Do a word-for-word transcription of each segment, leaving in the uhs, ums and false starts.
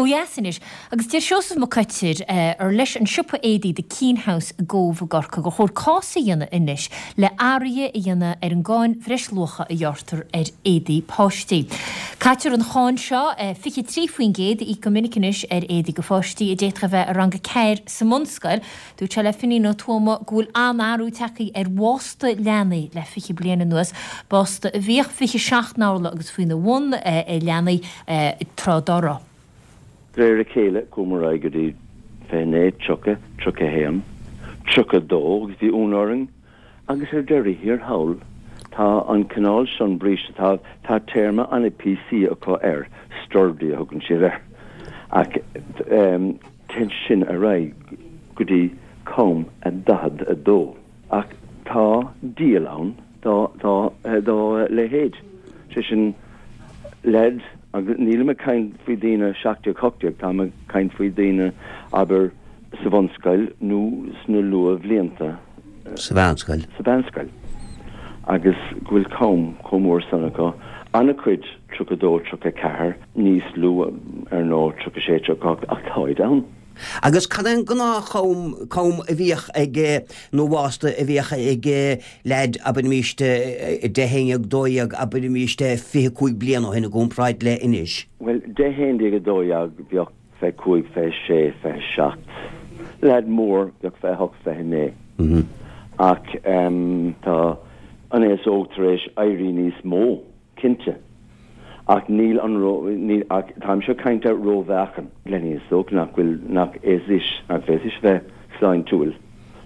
Ó dheas anois, agus deir Seosamh Mac Coitir ar leis an siopa éadaí The Keane House i gCóbh i gCorcaigh gur chóir cás a dhéanamh anois le athruithe a dhéanamh ar an gcáin bhreisluacha a ghearrtar ar éadaí páistí. Caitear an cháin seo fiche trí faoin gcéad a íoc go minic anois ar éadaí do pháistí a d'fhéadfadh a bheith i rang a ceathair sa mbunscoil. Dúirt sé le Finín Ó Tuama go bhfuil an-athrú tagtha ar bhásta leanaí le fiche bliain anuas, básta a bhíodh fiche seacht n-orlach agus faoina bhun ag leanaí tráth dá raibh. De réir a chéile chuamar ar aghaidh go dtí fiche naoi, tríocha, tríocha a haon, tríocha a dó agus bhí ionadh orainn agus ar deireadh thiar thall tá an cineál sin bríste, tá, tá téarma an-PC acu air, sturdy a thugann siad air, ach téann sin ar aghaidh go dtí com a daichead a dó. Ach tá díol ann dá, dá, dá leithéid, sé sin leaid, Agus nílim ag caint faoi daoine seacht déag, hocht déag, táim ag caint faoi daoine, abair, sa bhunscoil nó sna luathbhlianta. Sa mheánscoil. Sa mheánscoil. Agus go bhfuil com chomh mór san acu. An-chuid, tríocha dó, tríocha ceathair, níos lú, ar ndóigh, tríocha sé, tríocha hocht, ach táid ann. Agus cad é an gnáth-chom, com a bhíodh ag, nó bhásta a bhíodh ag leaid, abraimis, deich, haon dhéag, dó dhéag, abraimis, fiche cúig bliana ó shin i gcomparáid le anois? Bhuel, deich, haon déag, a dó dhéag, bheadh fiche cúig, fiche sé, fiche seacht. Leaid mór, bheadh fiche hocht, fiche naoi. Ach tá an aos óg tar éis éirí níos mó. Cinnte. Ach níl an ró, níl, ach táimse ag caint ar rómheáchan. Leanaí is dócha nach bhfuil, nach fhéadfaidís, nach bhféadfaidís a bheith sláintiúil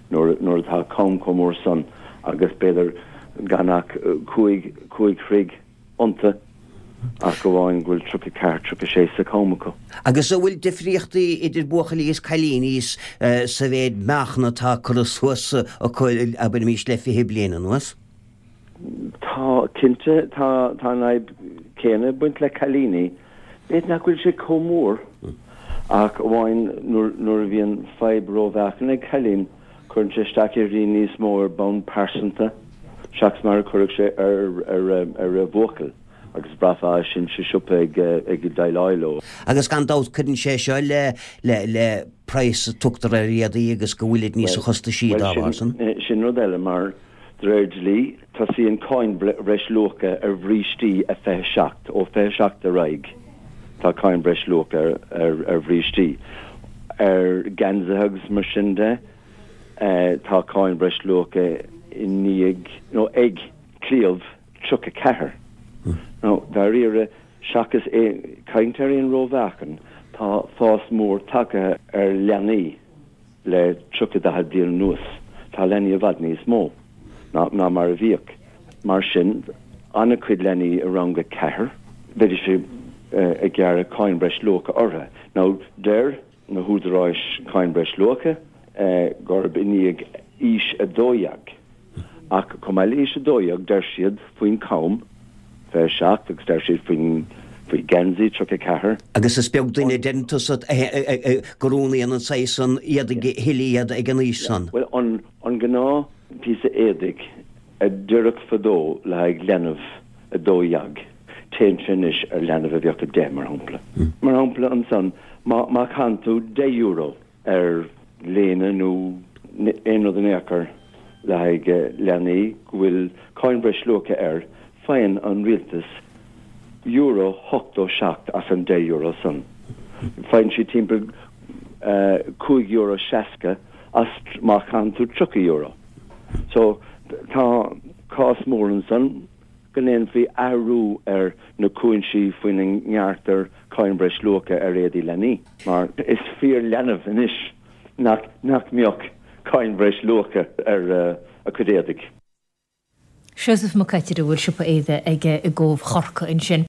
nuair, nuair atá com chomh mór san agus b'fhéidir gan ach cúig, cúig throigh iontu ach amháin go bhfuil tríocha ceathair, tríocha sé sa com acu. Agus an bhfuil difríochtaí idir buachaillí is cailíní sa mhéid meáchan atá curtha suas acu, abraimis, le fiche bliain anuas? Tá, cinnte, tá, tá an fhadhb céanna ag baint le cailíní. B'fhéidir nach bhfuil sé chomh mór ach amháin nuair, nuair a bhíonn fadhb rómheáchain ag cailín, cuireann sé isteach uirthi níos mó ar bhonn pearsanta seachas mar a chuirfeadh sé ar, ar, ar bhuachaill agus bhraithfeá sin sa siopa ag, ag déileáil leo. Agus gan dabht cuireann sé seo le, le, le praghas a tugtar ar éadaí agus go bhfuilid níosa chostaisí dá bharr san. Bhuel, sin, sin rud eile mar De réir dlí, tosaíonn cáin bhreisluacha ar bhrístí ag fiche seacht. Ó fiche seacht ar aghaidh, tá cáin bhreisluacha ar bhrístí. Ar gheansaithe agus mar sin de, tá cáin bhreisluacha i ndiaidh, nó ag, claíomh tríocha ceathair. Nó, dáiríre, seachas caint ar aon rómheáchan, tá fás mór tagtha ar leanaí. Le tríocha daichead bliain anuas, tá leanaí i bhfad níos mó ná ná mar a bhíodh. Mar sin, an-chuid leanaí i rang a ceathair, bheidís ag gearradh cáin breisluacha orthu. Now, deir na húdaráis cáin breisluacha gurb i ndiaidh aois a dó dhéag. Ach chomh maith le haois a dó dhéag, deir siad faoin com, fiche seacht, agus deir siad faoin faoi gheansaí, tríocha ceathair. Agus is beag duine, deireann tusa, go roghnaíonn an saghas san éadaigh a thuilleadh iad ag an aois san. Bhuel, an an gnáth píosa éadaigh a d'oirfeadh fadó le haghaidh leanbh a dó dhéag, téann sé anois ar leanbh a bheadh a deich, mar shampla. Mar shampla ansan, má má chaitheann tú deich euro ar léine nó aon rud in aon chor le haghaidh leanaí go bhfuil cáin bhreisluacha air, faigheann an rialtas euro hochtó seacht as an deich euro san. Faigheann siad timpeall cúig euro seasca as má chaitheann tú tríocha euro. So tá cás mór ansan. go ndéanfaí athrú ar na cúinsí faoina ngearrtar cáin bhreisluacha ar éadaí leanaí, mar is fíor-leanbh anois nach nach mbeadh cáin bhreisluacha ar a cuid éadaigh. Seosamh Mac Coitir a bhfuil siopa éadaigh aige i gCóbh Chorcaí ansin.